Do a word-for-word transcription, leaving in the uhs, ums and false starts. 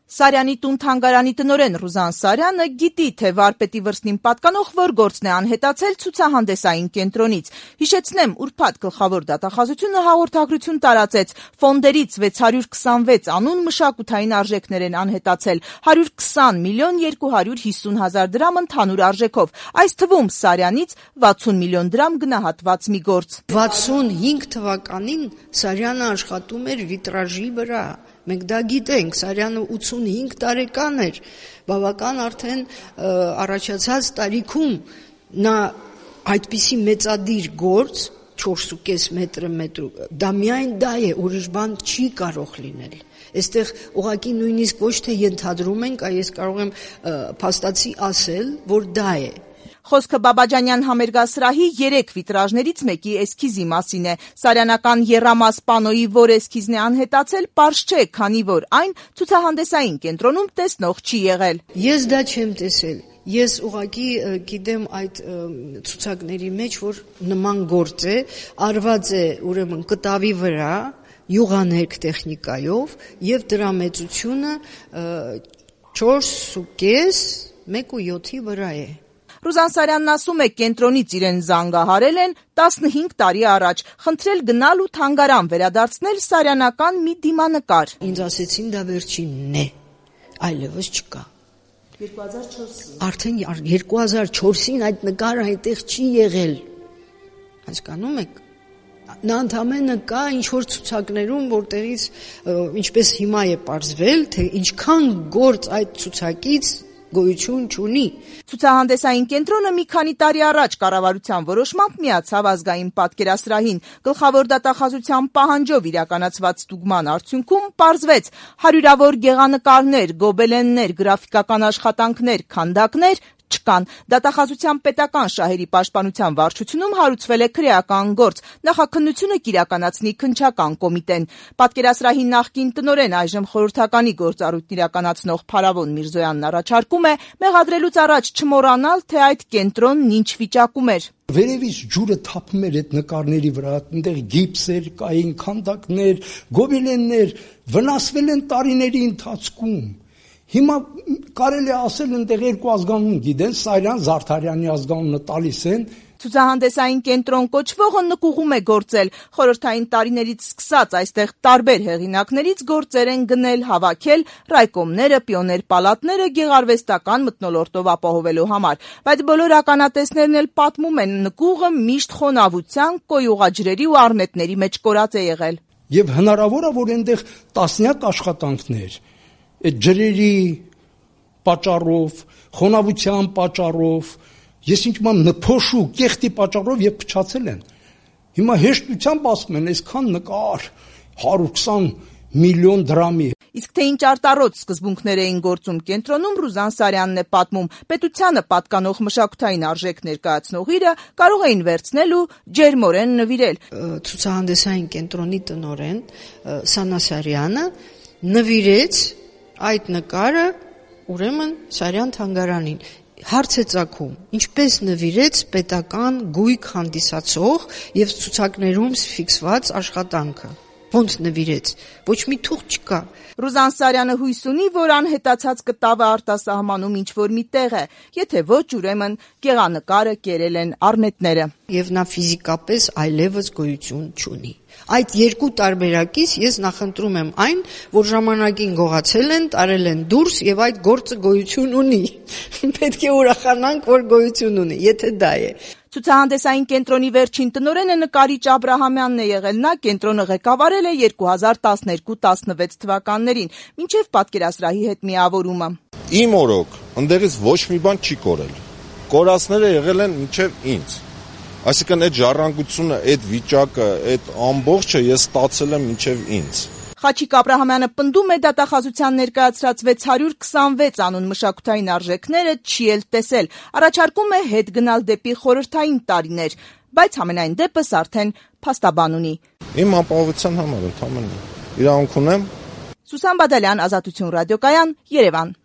Սարյանի տուն-թանգարանի տնօրեն Ռուզան Սարյանը գիտի, թե վարպետի վրձնին պատկանող որ գործն է անհետացել ցուցահանդեսային կենտրոնից։ Հիշեցնեմ, ուրբաթ գլխավոր դատախազությունը հաղորդագրություն տարածեց. ֆոնդերից վեց հարյուր քսանվեց անուն մշակութային արժեքներ են անհետացել, հարյուր քսան միլիոն երկու հարյուր հիսուն հազար դրամ ընդհանուր արժեքով, այս թվում Սարյանից վաթսուն միլիոն դրամ գնահատված մի գործ։ վաթսունհինգ թվականին Սարյանը աշխատում էր վիտրաժի վրա։ Մենք դա գիտենք, Սարյանը ութսունհինգ տարեկան էր, բավական արդեն առաջացած տարիքում նա այդպիսի մեծադիր գործ, չորսուկես մետրը մետրու, դա միայն դա է, ուրիշ բան չի կարող լինել։ Այստեղ ուղղակի նույնիսկ ոչ թե ենթադրում ենք, այլ ես կարող եմ փաստացի ասել, որ դա է։ Խոսքը Բաբաջանյան համերգասրահի երեք վիտրաժներից մեկի էսքիզի մասին է։ Սարյանական եռամաս պանոյի որ էսքիզն է անհետացել, պարզ չէ, քանի որ այն ցուցահանդեսային կենտրոնում տեսնող չի եղել։ Ես դա չեմ տեսել։ Ես ուղղակի գիտեմ այդ ցուցակների մեջ, որ նման գործ է, արված է ուրեմն կտավի վրա, յուղաներկ տեխնիկայով, եւ դրա մեծությունը չորսուկես մեկ ու յոթի վրա է։ Ռուզան Սարյանն ասում է, կենտրոնից իրեն զանգահարել են տասնհինգ տարի առաջ, խնդրել գնալ ու թանգարան վերադարձնել սարյանական մի դիմանկար։ Ինձ ասեցին դա վերջինն է, այլևս չկա։ երկու հազար չորսին Արդեն երկու հազար չորսին այդ նկարը այդտեղ չի եղել։ Հասկանում եք։ Նա ընդամենը կա ինչ-որ ցուցակներում, որտեղից ինչպես հիմա է պարզվել, թե ինչքան գործ այդ ցուցակից գոյություն չունի։ Ցուցահանդեսային կենտրոնը մի քանի տարի առաջ կառավարության որոշմամբ միացավ ազգային պատկերասրահին։ Գլխավոր դատախազության պահանջով իրականացված ստուգման արդյունքում պարզվեց հարյուրավոր գեղանկարներ, գոբելեններ, գրաֆիկական աշխատանքներ, քանդակներ չկան։ Դատախազության պետական շահերի պաշտպանության վարչությունում հարուցվել է քրեական գործ, նախաքննությունը կիրականացնի քննչական կոմիտեն։ Պատկերասրահի նախկին տնօրեն, այժմ խորհրդականի գործառույթն իրականացնող Փարավոն Միրզոյանն առաջարկում է մեղադրելուց առաջ չմոռանալ, թե այդ կենտրոնն ինչ վիճակում էր։ Վերևից ջուրը թափում էր այդ նկարների վրա, այնտեղ գիպսեր կային, քանդակներ, գոբելեններ, վնասվել են տարիների ընթացքում։ Հիմա կարելի է ասել այնտեղ երկու ազգանուն գիտեն, Սարյան Զարդարյանի ազգանունը տալիս են։ Ցուցահանդեսային կենտրոն կոչվողը նկուղում է գործել։ Խորհրդային տարիներից սկսած այստեղ տարբեր հեղինակներից գործեր են գնել, հավաքել ռայկոմները, պիոներ պալատները գեղարվեստական մթնոլորտով ապահովելու համար։ Բայց բոլոր ականատեսներն էլ պատմում են, նկուղը միշտ խոնավության, կոյուղաջրերի ու առնետների մեջ կորած է եղել։ Եվ հնարավոր է, որ այնտեղ տասնյակ աշխատանքներ այդ ջրերի պատճառով, խոնավության պատճառով, ես ինչ-որ նփոշու կեղտի պատճառով եւ փչացել են։ Հիմա հեշտությամբ ասում են, այսքան նկար հարյուր քսան միլիոն դրամի։ Իսկ թե ինչ արտառոց սկզբունքներ էին գործում կենտրոնում, Ռուզան Սարյանն է պատմում, պետությանը պատկանող մշակութային արժեք ներկայացնող իրը կարող էին վերցնել ու ջերմորեն նվիրել։ Ցուցահանդեսային կենտրոնի տնօրեն Սանա Սարյանը նվիրեց այդ նկարը ուրեմն Սարյան թանգարանին։ Հարց է ծագում, ինչպես նվիրեց պետական գույք հանդիսացող եւ ցուցակներում ֆիքսված աշխատանքը։ Ոնց նվիրեց, ոչ մի թուղթ չկա։ Ռուզան Սարյանը հույս ունի, որ անհետացած կտավը արտասահմանում ինչ-որ մի տեղ է, եթե ոչ, ուրեմն գեղանկարը կերել են առնետները։ Եվ նա ֆիզիկապես այլևս գոյություն չունի։ Այդ երկու տարբերակից ես նախընտրում եմ այն, որ ժամանակին գողացել են, տարել են դուրս եւ այդ գործը գոյություն ունի։ Պետք է ուրախանանք, որ գոյություն ունի, եթե դա է։ Ցուցահանդեսային կենտրոնի վերջին տնօրենը նկարիչ Աբրահամյանն է եղել, նա կենտրոնը ղեկավարել է երկու հազար տասներկու տասնվեց թվականներին, մինչև պատկերասրահի հետ միավորումը։ Իմ օրոք, ընդերից ոչ մի բան չի կորել։ Կորածները եղել են մինչև ինձ։ Այսինքն այդ ժառանգությունը, այդ վիճակը, այդ ամբողջը ես ստացել եմ մինչև ինձ։ Խաչիկ Աբրահամյանը պնդում է դատախազության ներկայացրած վեց հարյուր քսանվեց անուն մշակութային արժեքները չի էլ տեսել, առաջարկում է հետ գնալ դեպի խորհրդային տարիներ, բայց համենայն դեպս արդեն փաստաբան ունի։ Իմ ապահովության համար ընդհանրապես իրավունք ունեմ։ Սուսան Բադալյան, Ազատություն ռադիոկայան, Երևան։